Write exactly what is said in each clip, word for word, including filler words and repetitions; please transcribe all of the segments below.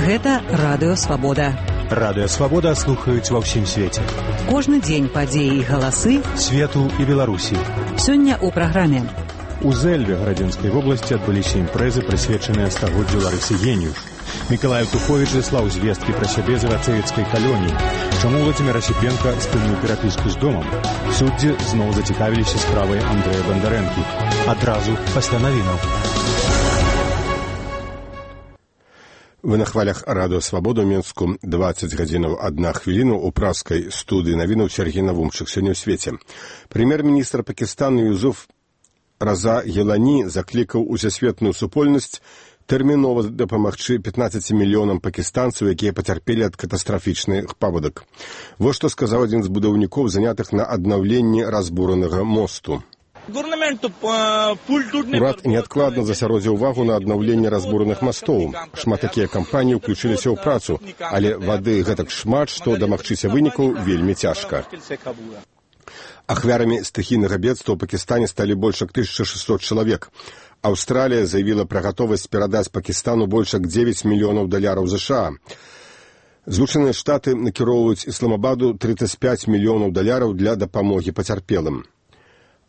Гэта Радыё Свабода. Радыё Свабода слухаюць ва ўсім свеце. Кожны дзень падзеі і галасы свету і Беларусі. Сёння ў праграме. У Зэльве Градзенскай вобласці адбыліся імпрэзы, прысвечаныя стагоддзю Ларысы Геніюш. Мікалай Туховіч заслаў звесткі пра сябе з рацэвіцкай калоніі. Чаму Владзімір Асіпенка спыніў перапіску з домам? Суддзі зноў зацікавіліся справай Андрэя Бандарэнкі. Адразу пасля навінаў. Вы на хвалях Радыё Свабода ў Мінску. дваццаць гадзінаў адна хвіліну ў праскай студыі навінаў Сергей Навумчык. Сёння ў свеце. Прэм'ер-міністр Пакістану Юзуф Раза Гелані заклікаў усесветную супольнасць тэрмінова дапамагчы пятнаццаці мільёнам пакістанцаў, якія пацярпелі ад катастрафічных паводак. Вось што сказаў адзін з будаўнікоў, занятых на аднаўленні разбуранага мосту. Урад неадкладна засяродзіў увагу на аднаўленне разбураных мастоў. Шмат такія кампаніі ўключыліся ў працу, але вады гэтак шмат, што дамагчыся вынікаў вельмі цяжка. Ахвярамі стыхійнага бедства ў Пакістане сталі больш як тысяча шэсцьсот чалавек. Аўстралія заявіла пра гатовасць перадаць Пакістану больш як дзевяць мільёнаў даляраў ЗША. Злучаныя Штаты накіроўваюць Ісламабаду трыццаць пяць мільёнаў даляраў для дапамогі пацярпелым.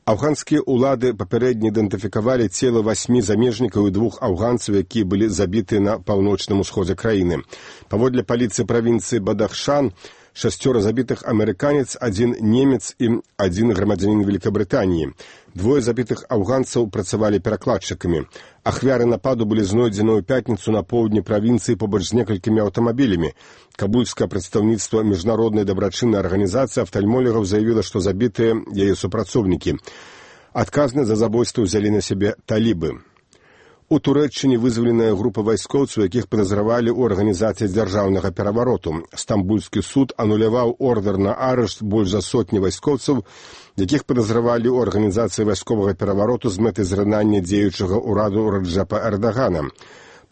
Афганскія ўлады папярэдне ідэнтыфікавалі цела васьмі замежнікаў і двух афганцаў, якія былі забіты на паўночным усходзе краіны. Паводле паліцыі правінцыі Бадахшан, шасцёра забітых амерыканец, адзін немец і адзін грамадзянін Великабрытаніі. Двое забітых афганцаў працавалі перакладчыкамі. Ахвяры нападу былі знойдзены ў пятніцу на поўдні правінцыі побач з некалькімі аўтамабілямі. Кабульскае прадстаўніцтва міжнароднай дабрачыннай арганізацыі афтальмолігаў заявіла, што забітыя яе супрацоўнікі. Адказнасць за забойства ўзялі на сябе талібы. У Турэччыне вызваленая група вайскоўцаў, якіх падазравалі ў арганізацыі дзяржаўнага перавароту. Стамбульскі суд ануляваў ордар на арышт больш за сотні вайскоўцаў, якіх падазравалі ў арганізацыі вайсковага перавароту з мэтай зрынання дзеючага ўраду Раджэпа Эрдагана.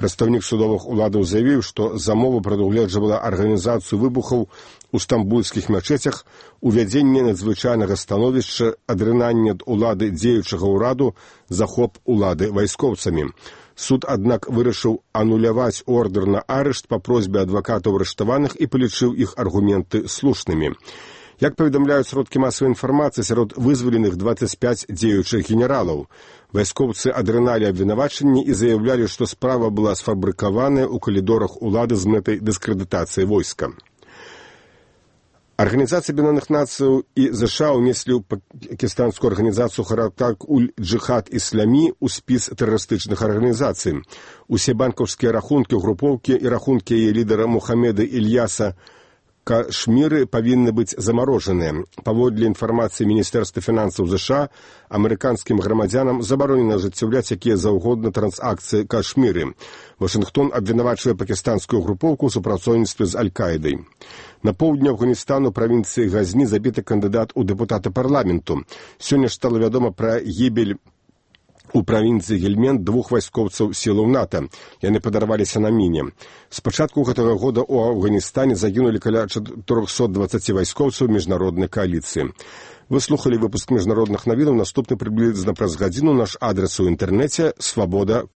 Прадстаўнік судовых уладаў заявіў, што замова прадугледжвала арганізацыю выбухаў у стамбульскіх мячэцях, увядзенне надзвычайнага становішча, адрынанне ад улады дзеючага ўраду, захоп улады вайскоўцамі. Суд, аднак, вырашыў ануляваць ордар на арышт па просьбе адвакатаў арыштаваных і палічыў іх аргументы слушнымі. Як паведамляюць сродкі масавай інфармацыі, сярод вызваленых дваццаць пяць дзеючых генералаў. Вайскоўцы адрыналі абвінавачанні і заяўлялі, што справа была сфабрыкаваная ў калідорах улады з мэтай дыскрэдытацыі войска. Арганізацыя Аб'яднаных Нацыяў і ЗША ўнеслі ў пакістанскую арганізацыю Харакат-уль-Джихад Ісламі ў спіс тэрарыстычных арганізацый. Усе банкаўскія рахункі групоўкі і рахункі яе лідара Мухаммеда Ільяса Кашміры павінны быць замарожаныя. Паводле інфармацыі Міністэрства фінансаў ЗША, амерыканскім грамадзянам забаронена ажыццяўляць якія заўгодна трансакцыі Кашміры. Вашынгтон абвінавачвае пакістанскую групоўку ў супрацоўніцтве з Аль-Каідай. На поўдні Афганістана ў правінцыі Газні забіты кандыдат у дэпутаты парламенту. Сёння ж стала вядома пра гібель у правінцыі Гельмент двух вайскоўцаў сілаў НАТО. Яны падарваліся на міне. З пачатку гэтага года ў Афганістане загінулі каля чатырохсот дваццаці вайскоўцаў міжнароднай кааліцыі. Вы слухалі выпуск міжнародных навінаў. Наступны прыблізна праз гадзіну. Наш адрас у інтэрнэце свабода